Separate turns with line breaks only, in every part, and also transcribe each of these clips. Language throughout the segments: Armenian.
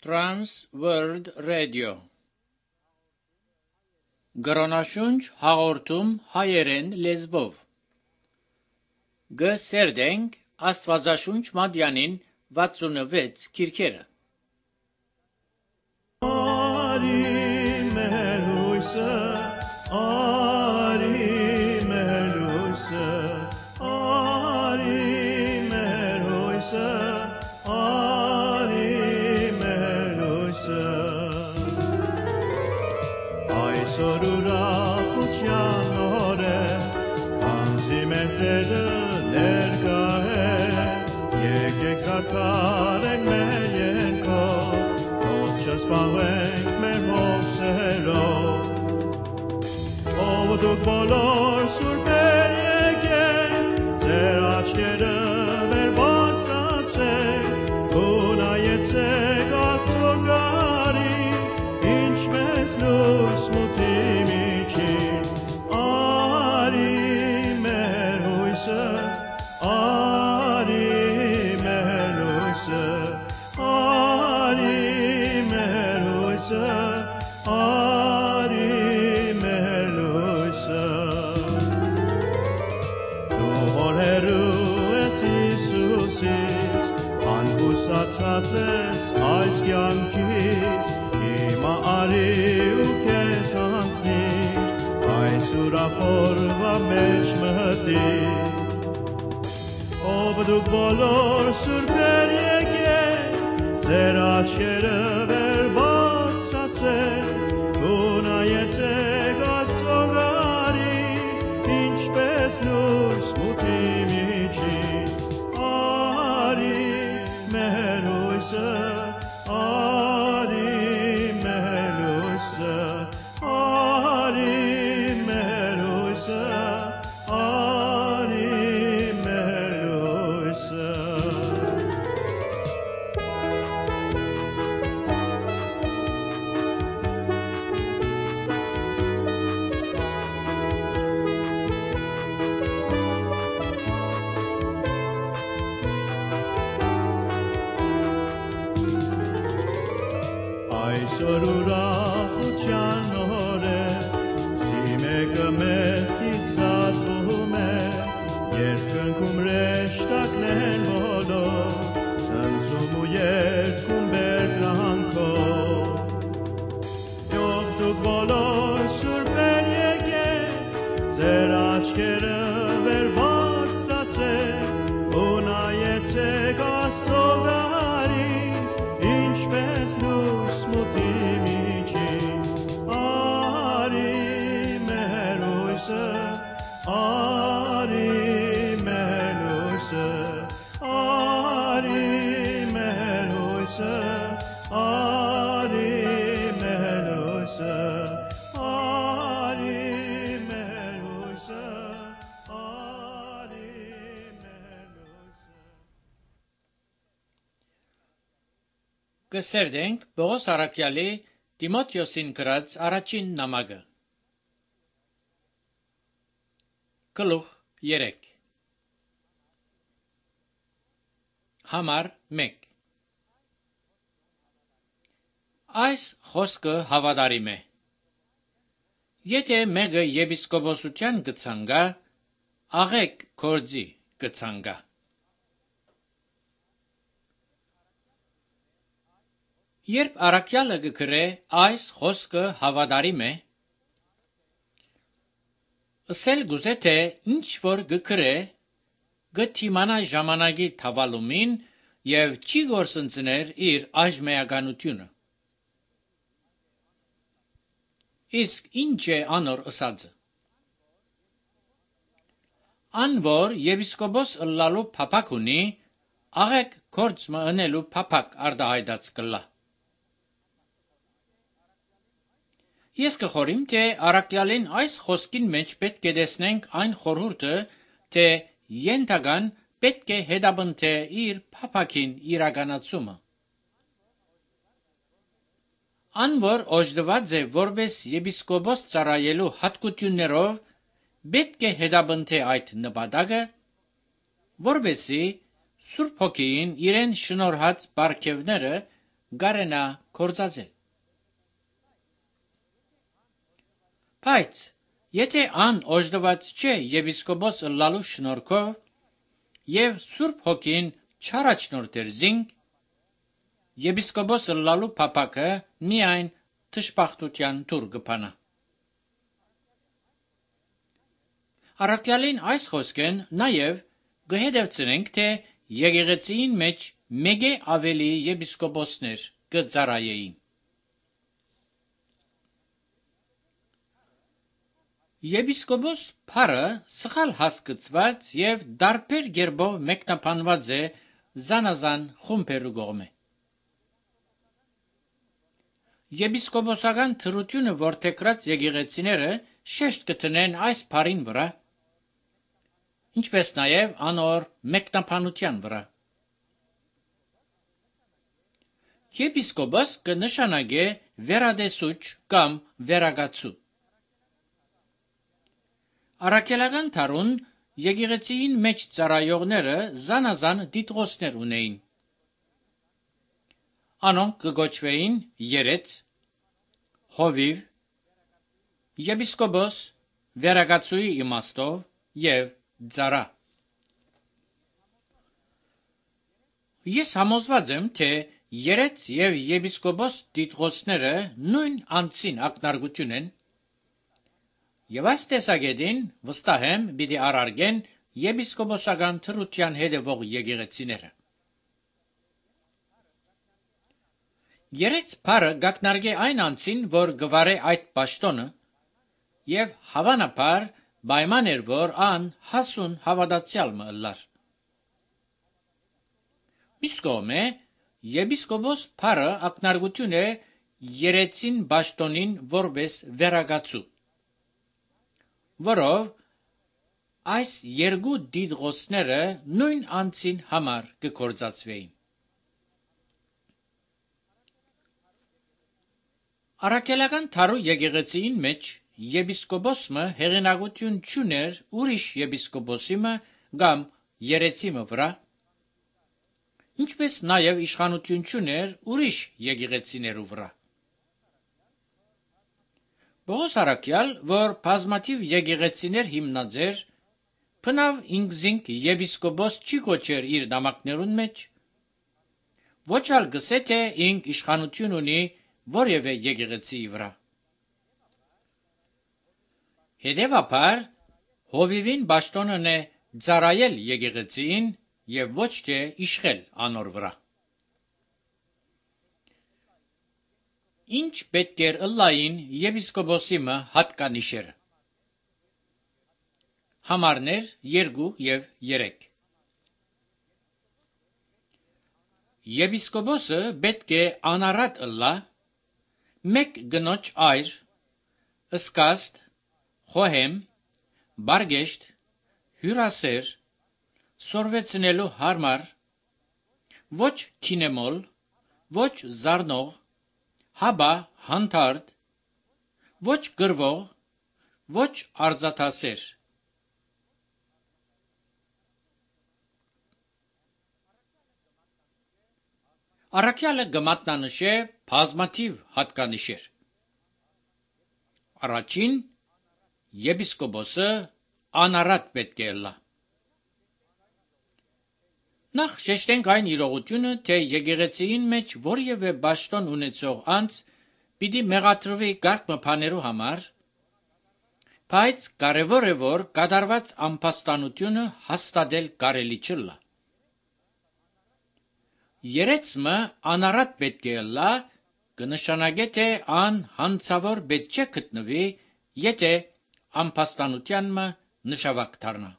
Trans World Radio Գրոնաշունչ հաղորդում հայերեն լեզվով Գսերդենք Աստվածաշունչ Մատյանին 66 քիրքերը
Դուք բոլոր սուրբեր եկեք, ձեր աչքերը վեր բարձրացրեք, ու նայեցեք Աստծուն գարին, ինչպես լույս մութի միջին, արի մեր հույսը, արի մեր հույսը, արի մեր հույսը, Ցածես այս կյանքից, հիմա արի ու քեզ հանձնիր, այս ուրախորվա մեջ մտիր, ով դուք բոլոր սուրբեր եկեք, ձեր աչքերը վեր բարձրացրեք, ու նայեցեք Աստծուն գարին, ինչպես լույս մութի միջին, արի մեր հույսը, արի մեր հույսը, արի մեր հույսը, արի մեր հույսը. Այսօր ուրախության օր է, սիմեկը մեղքից զատվում է, երկնքում հրեշտակներն բոլոր, ցնծում ու երգում բերկրանքով. Ով դուք բոլոր սուրբեր եկեք, ձեր աչքերը վեր բարձրացրեք, ու նայեցեք Աստծուն գարին, ինչպես լույս մութի միջին, արի մեր հույսը, արի մեր հույսը, արի մեր հույսը, արի մեր հույսը, արի մեր հույսը, արի մեր հույսը.
Գսերդենք Պողոս առաքյալի Տիմոթեոսին գրած առաջին նամակը Գլուխ 3 Համար 1 Այս խոսքը հավատարիմ է. Եթե մեկը եպիսկոպոսության գցանգա, աղեք կորձի գցանգա. Երբ առաքյալը գկրե այս խոսքը հավատարիմ է, ասել գուզե թե ինչ որ գկրե, գթիմանա ժամանակի թավալումին և չի գործընծներ իր այժմեականությունը. Իսկ ինչ է անոր ըսածը. Անոր եպիսկոպոս ըլլալու փափակ ունի, աղեք կորձ մընելու փափակ արդահայտած կլա. Ես կխորիմ, թե առաքյալին այս խոսքին մեջ պետք է տեսնենք այն խորհուրդը, թե ենթական պետք է հետապնդե իր փափակին իրականացումը. Անոր օժդված է որպես եպիսկոպոս ծառայելու հատկություններով, պետք է հետապնդե այդ նպատակը, որպեսզի Սուրբ Հոգին իրեն շնորհած բարգևները գարենա կործածել։ Բայց եթե ան օժդված չէ եպիսկոպոս ըլլալու շնորհքով եւ Սուրբ Հոգին չառաջնորդեր զինք, եպիսկոպոս ըլլալու փափակը միայն թշպախտության դուր կփանա։ Առաքյալին այս խոսքեն նաև կհետևցնենք, թե եկեղեցին մեջ մեկ ավելի եպիսկոպոսներ կծառայեին։ Եպիսկոպոս փառը սխալ հասկացված եւ դարբեր գերբով մեկնաբանված է զանազան խումբերու կողմէ։ Եպիսկոպոսական թրությունը որդեգրած եկեղեցիները շեշտ կտնեն այս փառին վրա, ինչպես նաև անոր մեկնաբանության վրա։ Եպիսկոպոս կնշանակե վերադեսուչ կամ վերագացու։ Առաքելական թարուն եկեղեցին մեջ ծառայողները զանազան դիտողներ ունեին։ Անոնք կգոչվեին երեց, հովիվ, եպիսկոպոս, վերագացուի իմաստով եւ ծառա։ Ես համոզված եմ, թե երեց եւ եպիսկոպոս դիտողները նույն անձին ակնարկություն են, եւ այս տեսակետին վստահ եմ պիտի առարգեն եպիսկոպոսական թրության հետևող եկեղեցիները։ Երեց փառը գակնարկե այն անձին, որ գվարե այդ պաշտոնը, եւ հավանաբար պայման էր, որ ան հասուն հավատացյալ մը ըլլար։ Մյուս կողմէ, եպիսկոպոս փառը ակնարկություն է երեցին պաշտոնին որպես վերագացու, որով այս երկու դիտողները նույն անձին համար կգործածվեին։ Առաքելական թարու եկեղեցին մեջ եպիսկոպոսը հեղինակություն չուներ ուրիշ եպիսկոպոսի մը կամ երեցի մը վրա, ինչպես նաև իշխանություն չուներ ուրիշ եկեղեցիներու վրա։ Պողոս առաքյալ, որ բազմաթիվ եկեղեցիներ հիմնած էր, բնավ ինքզինք եպիսկոպոս չի կոչեր իր նամակներուն մեջ, ոչ ալ գսե թե ինք իշխանություն ունի որևէ եկեղեցիի վրա։ Հետևաբար, հովիվին պաշտոնն է ծառայել եկեղեցին եւ ոչ թե իշխել անոր վրա։ Ինչ պետք էր ըլլային եպիսկոպոսի մը հատկանիշերը։ Համարներ 2 եւ 3։ Եպիսկոպոսը պետք է անառատ ըլլա, մեկ գնոջ այր, ըսկաստ, խոհեմ, բարգեշտ, հյուրասեր, սորվեցնելու հարմար, ոչ քինեմոլ, ոչ զարնող, հաբա հանդարտ, ոչ գրվող, ոչ արձատասեր։ Առաքյալը կմատնանշե բազմաթիվ հատկանիշեր։ Առաջին, եպիսկոպոսը անառատ պետք է ըլլա։ Նախ շեշտենք այն իրողությունը, թե եկեղեցիին մեջ որևէ պաշտոն ունեցող անձ պիտի մեղադրվի կարգ մփաներու համար, բայց կարևոր է, որ կատարված ամբաստանությունը հաստատել կարելի չլա։ Երեցմը անառատ պետք է ըլլա, կնշանակե, թե ան հանցավոր պետք չէ գտնվի, եթե ամբաստանության մը նշավակ դառնա։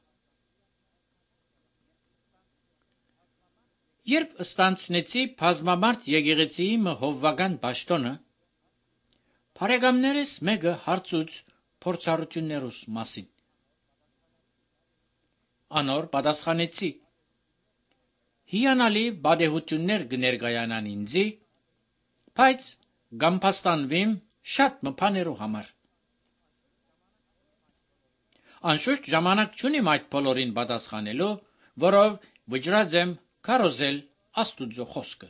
Երբ ստանցնեցի բազմամարդ եկեղեցիի մը հովվական պաշտոնը, բարեկամներս մեկը հարցուց փորձառություններուս մասին։ Անոր պատասխանեցի. հիանալի բադեհություններ կներկայանան ինձի, բայց գամփաստանվիմ շատ մփաներու համար։ Անշուշտ ժամանակ չունիմ այդ բոլորին պատասխանելու, որով վճռած եմ քարոզել Աստուծո խոսքը։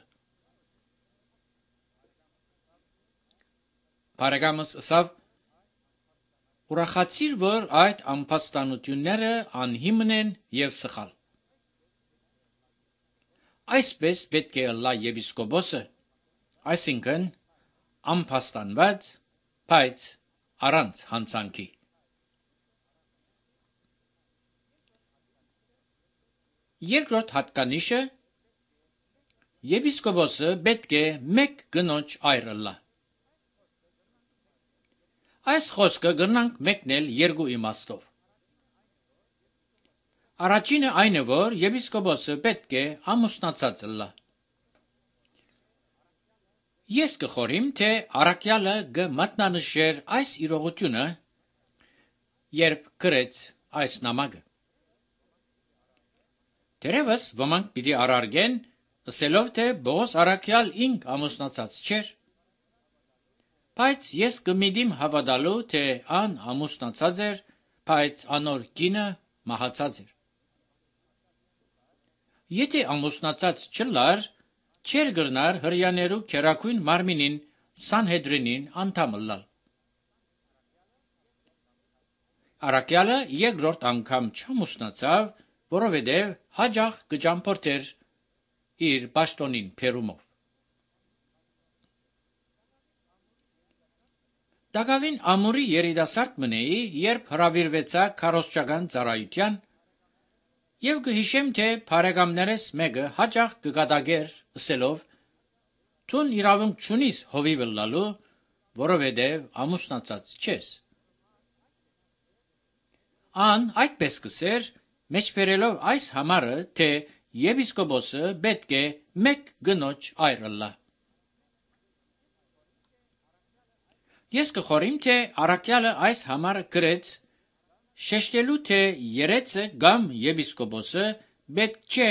Բարեկամս ասավ. ուրախացիր, որ այդ ամփոստանությունները անհիմն են եւ սխալ։ Այսպես պետք է ըլլա եպիսկոպոսը, այսինքն ամփոստանված, բայց առանց հանցանքի։ Երկրորդ հատկանիշը եպիսկոպոսը պետք է մեկ գնոջ այր ըլլա։ Այս խոսքը գրնանք մեկնել երկու իմաստով։ Առաջինը այն է, որ եպիսկոպոսը պետք է ամուսնացած ըլլա։ Ես կխորիմ, թե առաքյալը կմատնանշեր այս իրողությունը, երբ գրեց այս նամակը։ Դերևս ոմանք պիտի առարգեն, ասելով, թե Պողոս առաքյալ ինք ամուսնացած չէր, բայց ես կմիտիմ հավատալու, թե ան ամուսնացած էր, բայց անոր կինը մահացած էր։ Եթե ամուսնացած չլար, չէր գրնար հրյաներու քերակույն մարմինին Սանհեդրինին անդամ ըլլալ։ Առաքյալը երկրորդ անգամ չամուսնացավ, որովհետև հաջող կճամփորդեր իր պաշտոնին փերումով։ Դակավին ամուրի երիտասարդ մնեի, երբ հրավիրվեցա քարոզչական ծառայության, եւ կհիշեմ, թե բարեկամներս մեկը հաջող կգադագեր ասելով. «Թուն իրավունք չունիս հովիվ ըլլալու, որովհետև ամուսնացած չես»։ Ան այդպես կսեր, մեջբերելով այս համարը, թե եպիսկոպոսը պետք է մեկ գնոջ այր ըլլա։ Ես կխորիմ, թե առաքյալը այս համարը գրեց, շեշտելու, թե երեցը կամ եպիսկոպոսը պետք չէ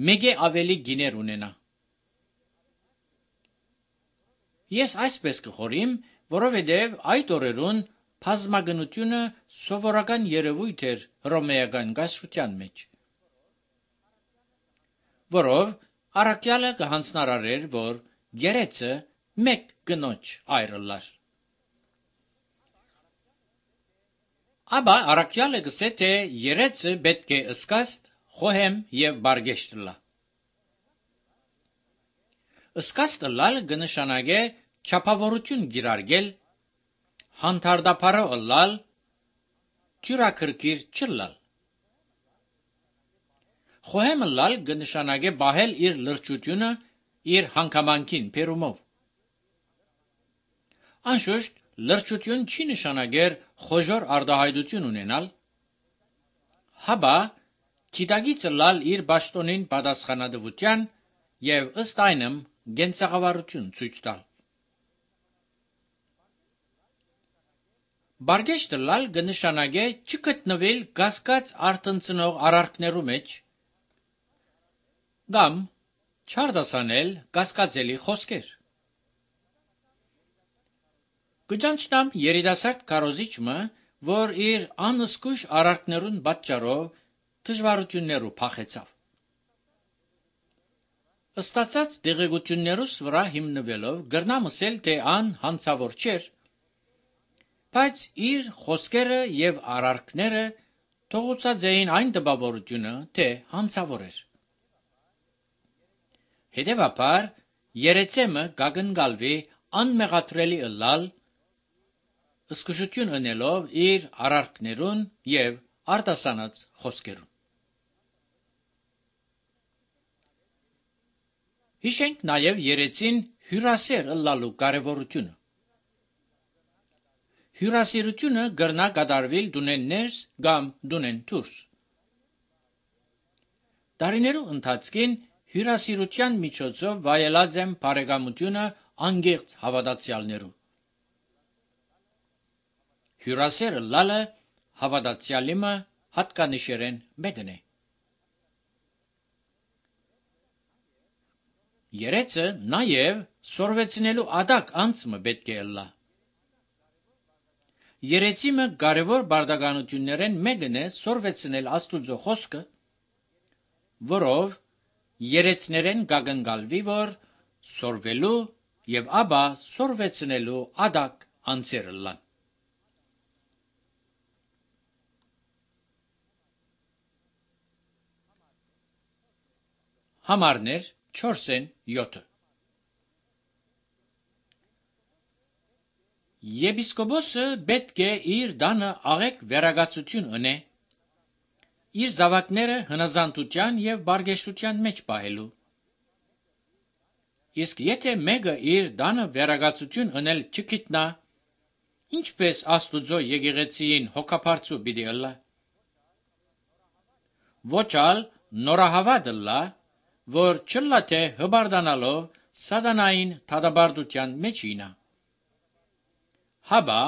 մեկ ավելի գիներ ունենա։ Ես այսպես կխորիմ, որովհետև այդ օրերուն բազմագնությունը սովորական երևույթ էր հռոմեական գասրության մեջ, որով առաքյալը կհանձնարարեր, որ երեցը մեկ գնոջ այր ըլլար։ Աբա առաքյալը գսե, թե երեցը պետք է ըսկաստ, խոհեմ եւ բարգեշտ ըլլա։ Ըսկաստ ըլլալ կնշանակե չափավորություն գիրարգել, հանդարտափարը ըլլալ, թյուրաքրքիր չըլլալ։ Խոհեմ ըլլալ կնշանակե բահել իր լրջությունը իր հանգամանքին փերումով։ Անշուշտ լրջություն չի նշանակեր խոժոր արտահայտություն ունենալ, հաբա գիտակից ըլլալ իր պաշտոնին պատասխանատվության եւ ըստ այնմ գենցաղավարություն ցույց տալ։ Բարգեշտ ըլլալ կնշանակե չգտնվել կասկած արտնցնող արարքներու մեջ կամ չարդասանել կասկածելի խոսքեր։ Կճանչնամ երիտասարդ քարոզիչը, որ իր անըսկույժ արարքներուն պատճառով դժվարություններու փախեցավ։ Ստացած դեղեցություններուս վրա հիմնվելով գրնամ ասել, թե ան հանցավոր չէր, բայց իր խոսքերը եւ արարքները թողուցած էին այն տպավորությունը, թե հանցավոր էր։ Հետևաբար երեցեմը կակնկալվի անմեղադրելի ըլլալ, ըսկուժություն ընելով իր արարքներուն եւ արտասանած խոսքերուն։ Հիշենք նաեւ երեցին հյուրասեր ըլլալու կարևորությունը։ Հյուրասիրությունը կրնա կատարվել դունեն ներս կամ դունեն դուրս։ Տարիներու ընթացքին հյուրասիրության միջոցով վայելած եմ բարեկամությունը անգեղծ հավատացյալներու։ Հյուրասեր ըլլալը հավատացյալիմը հատկանիշերեն մեկն է։ Երեցը նաեւ սորվեցնելու ադակ անցումը պետք է ըլլա։ Երեցիմը կարևոր բարդականություններեն մեկն է սորվեցնել Աստուծո խոսքը, որով երեցներեն կակնկալվի, որ սորվելու եւ ապա սորվեցնելու ադակ անձեր լան։ Համարներ 4-7 Եպիսկոպոսը պետք է իր դանը աղեկ վերագացություն ունե, իր զավակները հնազանդության և բարգեշտության մեջ պահելու։ Իսկ եթե մեկը իր դանը վերագացություն ունել չգիտնա, ինչպես Աստուծո եկեղեցին հոգապարծու պիտի ըլլա։ Ոչ ալ նորահավատ ըլլա, որ չլա թե հբարդանալով սատանային դատապարտության մեջ ինա։ Հաբա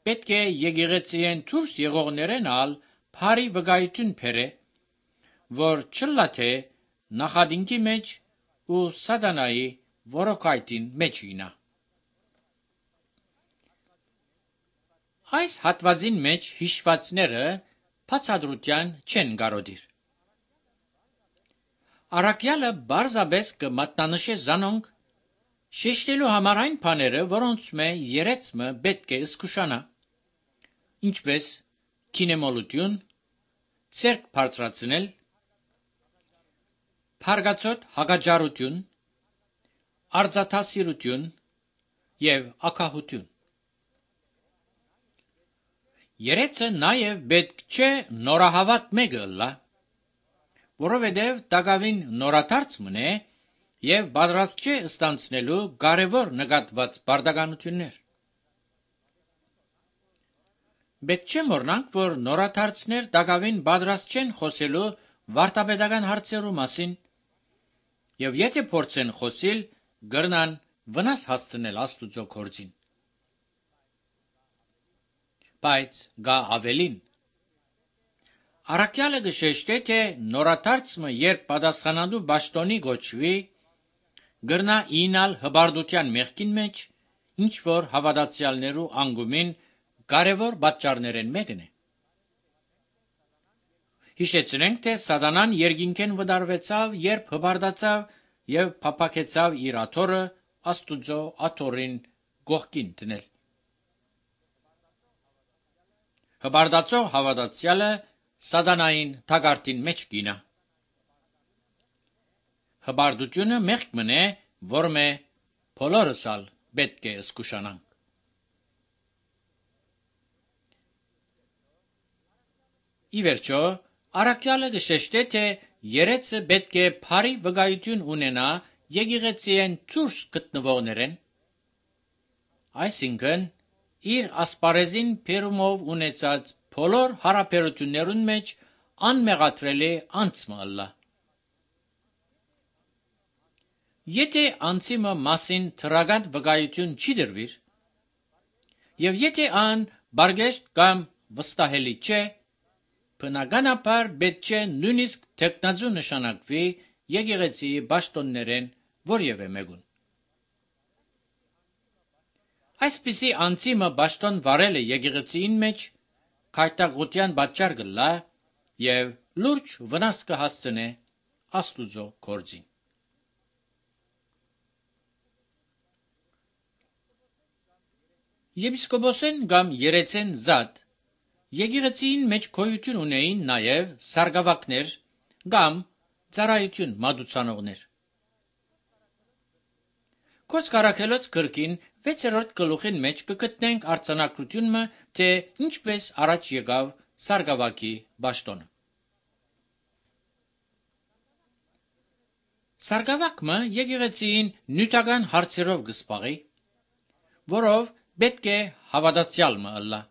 պետք է եկեղեցիեն դուրս եղողներեն ալ բարի վկայություն բերե, որ չլա թե նախադինքի մեջ ու սատանայի որոքայտին մեջ ինա։ Այս հատվածին մեջ հիշվածները բացատրության չեն կարոտիր։ Առաքյալը բարձաբես կմատնանշե զանոնք, շեշտելու համար այն բաները, որոնց մե երեցմը պետք է զգուշանա, ինչպես քինեմոլություն, ցերկ բարձրացնել, փարգացոտ հակաջարություն, արձաթասիրություն և ակահություն։ Երեցը նաև պետք չէ նորահավատ մեկը ըլլա, որովհետև տակավին նորադարձ մնե և պատրաստ չէ ստանցնելու կարևոր նկատված պարտականություններ։ Պետք չէ մոռնանք, որ նորադարձներ տակավին պատրաստ չեն խոսելու վարդապետական հարցերու մասին, և եթե փորձեն խոսիլ, կրնան վնաս հասցնել Աստուծո գործին։ Բայց գա ավելին։ Առաքյալը կշեշտե, թե նորադարձը երբ պատասխանատու պաշտոնի կոչվի, կրնա ինալ հպարտության մեղքին մեջ, ինչ որ հավատացյալներու անկումին կարևոր պատճառներեն մեկն է։ Հիշեցնենք, թե սատանան երկինքեն վտարվեցավ, երբ հպարտացավ և փափաքեցավ իր աթոռը Աստուծո աթոռին կողքին դնել։ Հպարտացող հավատացյալը սատանային թակարդին մեջ կինա։ Հպարտությունը մեղք մնե, որ մե բոլորս ալ պետք է զգուշանանք։ Ի վերջո, առաքյալը կշեշտե, թե երեցը պետք է բարի վկայություն ունենա եկեղեցիեն դուրս գտնվողներեն, այսինքն իր ասպարեզին բերումով ունեցած բոլոր հարաբերություններուն մեջ անմեղադրելի անձը ըլլա։ Եթե անձիմը մասին թրական վկայություն չի դրվիր, և եթե ան բարգեշտ կամ վստահելի չէ, բնականաբար պետք չէ նույնիսկ թեկնածու նշանակվի եկեղեցիի պաշտոններեն որևէ մեկուն։ Այսպիսի անձիմը պաշտոն վարելը եկեղեցիին մեջ քայթակղության պատճառ կլա և լուրջ վնաս կհասցնե Աստուծո գործին։ Եպիսկոպոսեն կամ երեցեն զատ եկեղեցիին մեջ գոյություն ունեին նաև սարգսակներ կամ ծառայություն մատուցանողներ։ Գործք Առաքելոց գրքին 6-րդ գլուխին մեջ կգտնենք արձանագրությունը, թե ինչպես առաջ եկավ սարգսակի պաշտոնը։ Սարգսակը եկեղեցիին նյութական հարցերով կզբաղի, որով պետք է հավատացյալ ըլլա։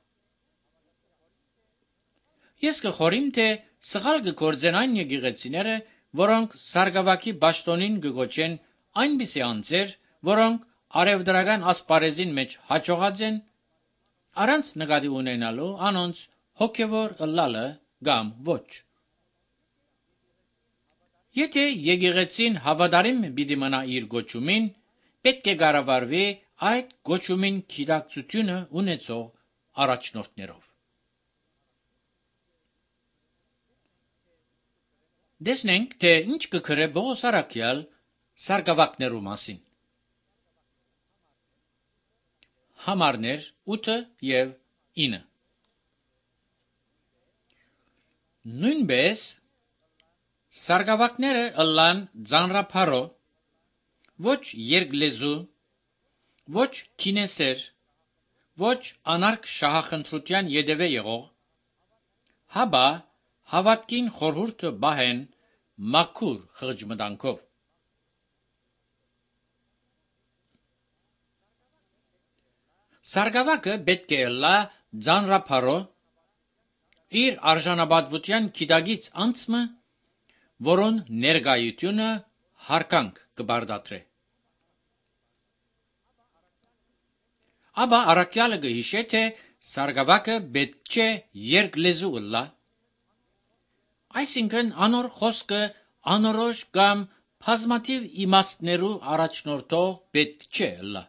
Ես կխորհեմ, թե սխալ կգործեն այն եկեղեցիները, որոնք սարգսակի պաշտոնին կգոչեն այնպիսի անձեր, որոնք արևտրական ասպարեզին մեջ հաջողած են, առանց նկատի ունենալու անոնց հոգևոր ըլլալը կամ ոչ։ Եթե եկեղեցին հավատարիմ պիտի մնա իր գոչումին, պետք է կառավարվի այդ գոչումին գիտակցությունը ունեցող առաջնորդներով։ Տեսնենք, թե ինչ կգրե Պողոս առաքյալ սարգսակներու մասին։ համարներ 8 և 9։ Նույնպես սարգավակները ըլլան ձանրափարո, ոչ երկլեզու, ոչ քինեսեր, ոչ անարգ շահախնդրության ետևե եղող, հաբա հավատքին խորհուրդը բահեն մաքուր խղճմտանքով։ Սարգավակը պետք է ըլլա ձանրափարո, իր արժանապատվության գիտագից անցմը, որոն ներկայությունը հարկանք կբարդատրե։ Աբա առաքյալը կհիշե, թե սարգավակը պետք չէ երկլեզու ըլլա, այսինքն անոր խոսքը անորոշ կամ բազմաթիվ իմաստներու առաջնորդող պետք չէ ըլլա։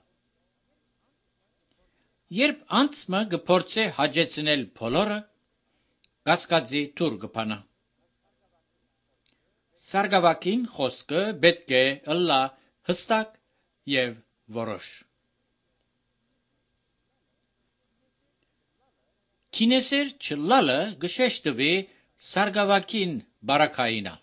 Երբ անցմը կփորձե հաջեցնել բոլորը, կասկածի թուր կփանա։ Սարգավակին խոսքը պետք է ըլլա հստակ և որոշ։ Քինեսեր չլալը կշեշտվի սարգավակին բարակայինալ։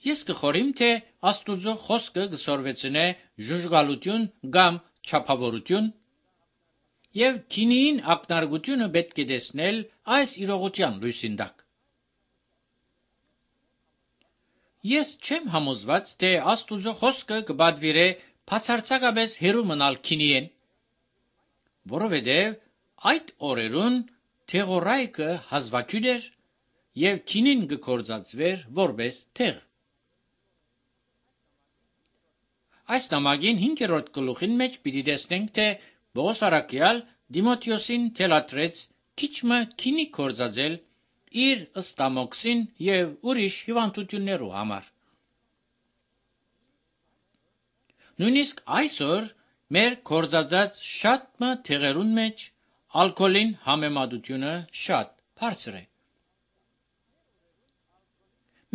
Ես կխորիմ, թե Աստուծո խոսքը կսորվեցնե ժուժգալություն կամ չափավորություն, և քինիին ակնարկությունը պետք է տեսնել այս իրողության լույսին տակ։ Ես չեմ համոզված, թե Աստուծո խոսքը կպատվիրե բացարձակապես հեռու մնալ քինիեն, որովհետև այդ օրերուն թեղորայքը հազվագյուտ էր և քինին կգործածվեր որպես թեղ։ Այս նամակին 5-րդ գլուխին մեջ պիտի տեսնենք, թե Պողոս առաքյալ Տիմոթեոսին թելադրեց քիչմը քինի գործածել իր ստամոքսին և ուրիշ հիվանդություններու համար։ Նույնիսկ այսօր մեր գործածած շատմը թեղերուն մեջ ալկոհոլին համեմատությունը շատ բարձր է։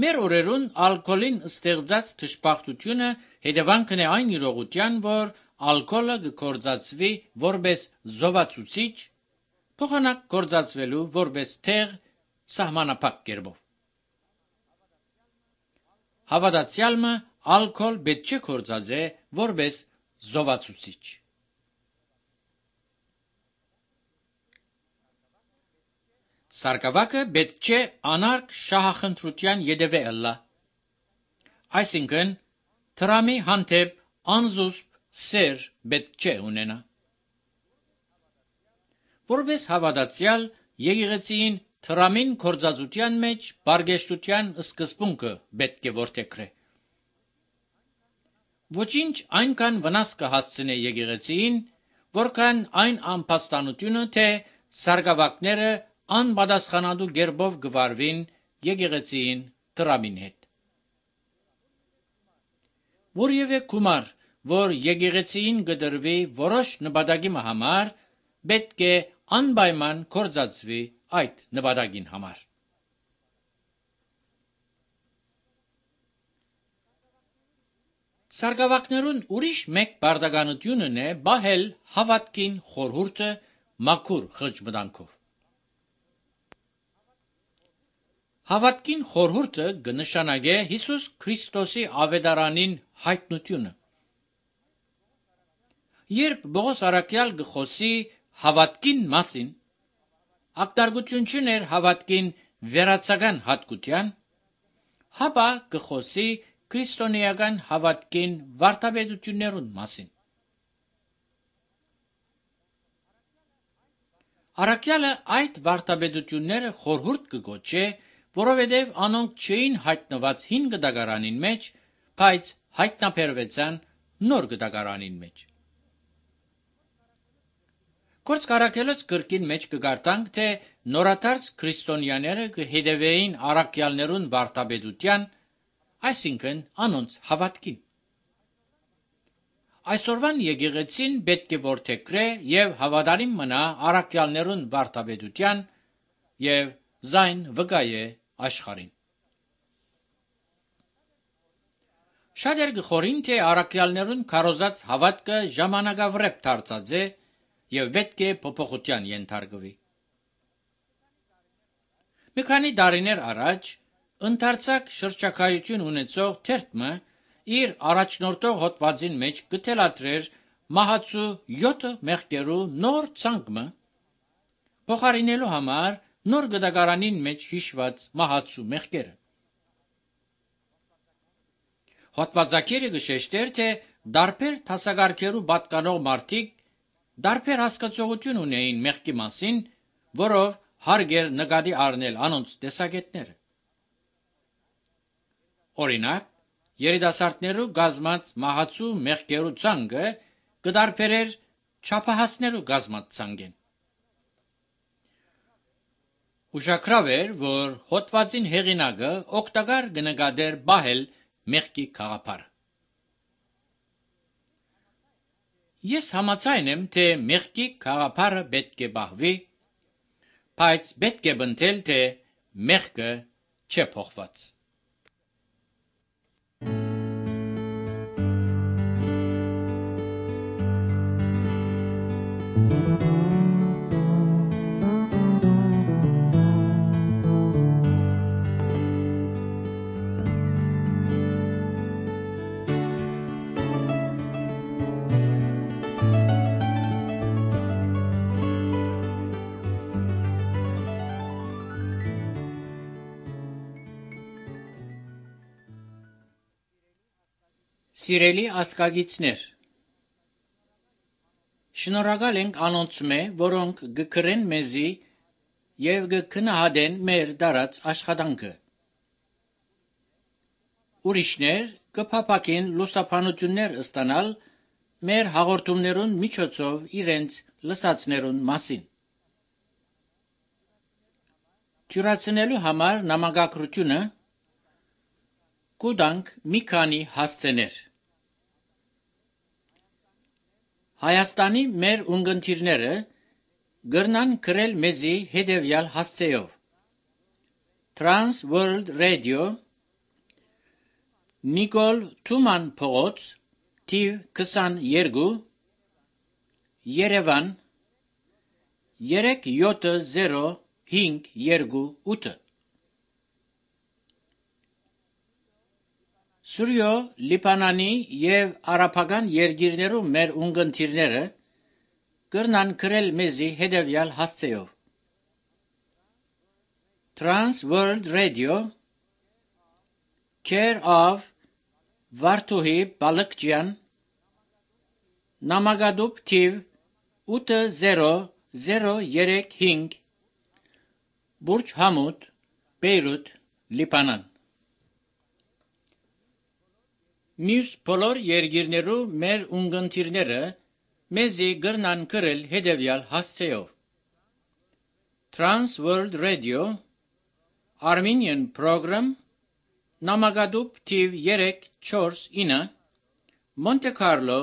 Մեր օրերուն ալկոհոլին ստեղծած դժբախտությունը հետևանքն է այն իրողության, որ ալկոհոլը կգործածվի որպես զովացուցիչ, փոխանակ գործածվելու որպես թեղ սահմանափակ կերպով։ Հավատացյալը ալկոհոլ պետք չէ գործածե որպես զովացուցիչ։ Սարգավակը պետք չէ անարգ շահախնդրության ետևե ըլլա, այսինքն թրամի հանդեպ անզուսպ սեր պետք չէ ունենա։ Որպես հավատացյալ եկեղեցին թրամին գործածության մեջ բարգեշտության սկզբունքը պետք է որդեգրե։ Ոչինչ այնքան վնաս կհասցնե եկեղեցին, որքան այն ամբաստանությունը, թե սարգավակները անպատասխանատու կերպով կվարվին եկեղեցին տրամին հետ։ Որևէ գումար, որ եկեղեցին կդրվի որոշ նպատակի համար, պետք է անպայման գործածվի այդ նպատակին համար։ Սարգավակներուն ուրիշ մեկ բարդականությունն է բահել հավատքին խորհուրդը մաքուր խղճմտանքով։ Հավատքին խորհուրդը կնշանակե Հիսուս Քրիստոսի ավետարանին հայտնությունը։ Երբ Պողոս առաքյալ կխոսի հավատքին մասին, ակնարկություն չուներ հավատքին վերացական հատկության, հապա կխոսի քրիստոնեական հավատքին վարդապետություններուն մասին։ Առաքյալը այդ վարդապետությունները խորհուրդ կգոչե, որովհետև անոնք չէին հայտնված հին գդագարանին մեջ, բայց հայտնաբերվեցան նոր գդագարանին մեջ։ Գործք առաքելոց գրքին մեջ կգարտանք, թե նորադարձ քրիստոնյաները կհետևեին առաքյալներուն վարդապետության, այսինքն անոնց հավատքին։ Այսօրվան եկեղեցին պետք է որդեգրե և հավատարիմ մնա առաքյալներուն վարդապետության և զայն վկայե աշխարհին։ Շատեր գխորին, թե առաքյալներուն քարոզած հավատքը ժամանակավրեպ դարձած է եւ պետք է փոփոխության ենթարկվի։ Մի քանի տարիներ առաջ ընդարձակ շրջակայություն ունեցող թերթը իր առաջնորդող հոդվածին մեջ գտելադրեր մահացու 7 մեղքերու նոր ցանկը փոխարինելու համար նոր գդակարանին մեջ հիշված մահացու մեղքերը։ Հոդվածակիրը գշեշտեր, թե դարբեր տասագարքերու պատկանող մարդիկ դարբեր հասկացողություն ունեին մեղքի մասին, որով հարգեր նկատի առնել անոնց տեսակետները։ Օրինակ, երիտասարդներու գազմած մահացու մեղքերու ցանկը կդարբերեր չափահասներու գազմած ցանկեն։ Ուշագրավ էր, որ հոդվածին հեղինակը օգտակար կնկատեր բահել մեղքի գաղափարը։ Ես համաձայն եմ, թե մեղքի գաղափարը պետք է բահվի, բայց պետք է բնտել, թե մեղքը չէ փոխված։ Սիրելի ասկագիցներ, շնորհակալ ենք անոնցմե, որոնք գկրեն մեզի եւ գքնահատեն մեր դարած աշխատանքը։ Ուրիշներ կփապակին լուսաբանություններ ստանալ մեր հաղորդումներուն միջոցով իրենց լսածներուն մասին։ Թյուրացնելու համար նամակագրությունը կուտանք մի քանի հասցեներ։ Հայաստանի մեր ունգընտիրները գրնան գրել մեզի հետևյալ հասցեով. Trans World Radio, Նիկոլ Թուման փողոց, թիվ 22, Երևան 37058։ Սուրյո Լիբանանի եւ արաբական երկիրներու մեր ունգընտիրները կրնան գրել մեզի հետևյալ հասցեով. Trans World Radio, Care of Վարդուհի Բալկջյան, Նամակադուբ թիվ 80035, Բուրջ Համուդ, Բեյրութ, Լիբանան։ Մյուս բոլոր երկիրներու մեր ունգընտիրները մեզի գրնան գրել հետևյալ հասցեով. Trans World Radio, Armenian Program, Նամակադուբ թիվ 349, Monte Carlo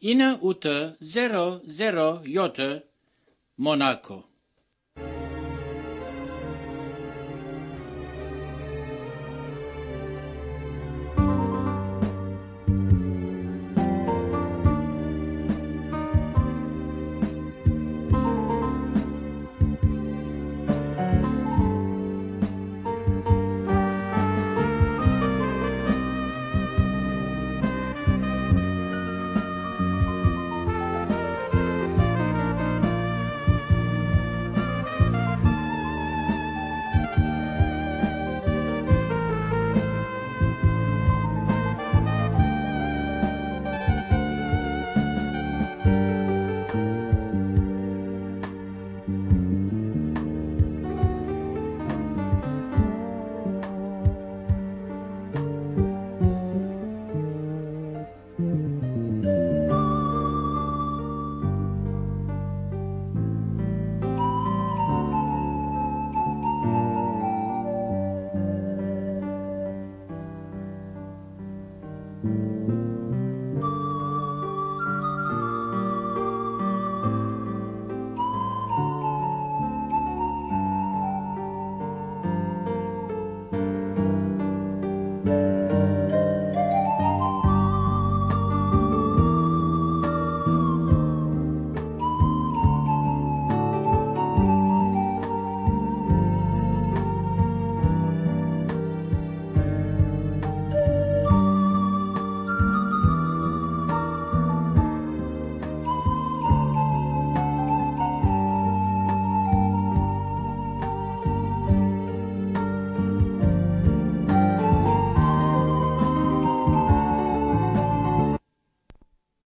9807, Monaco։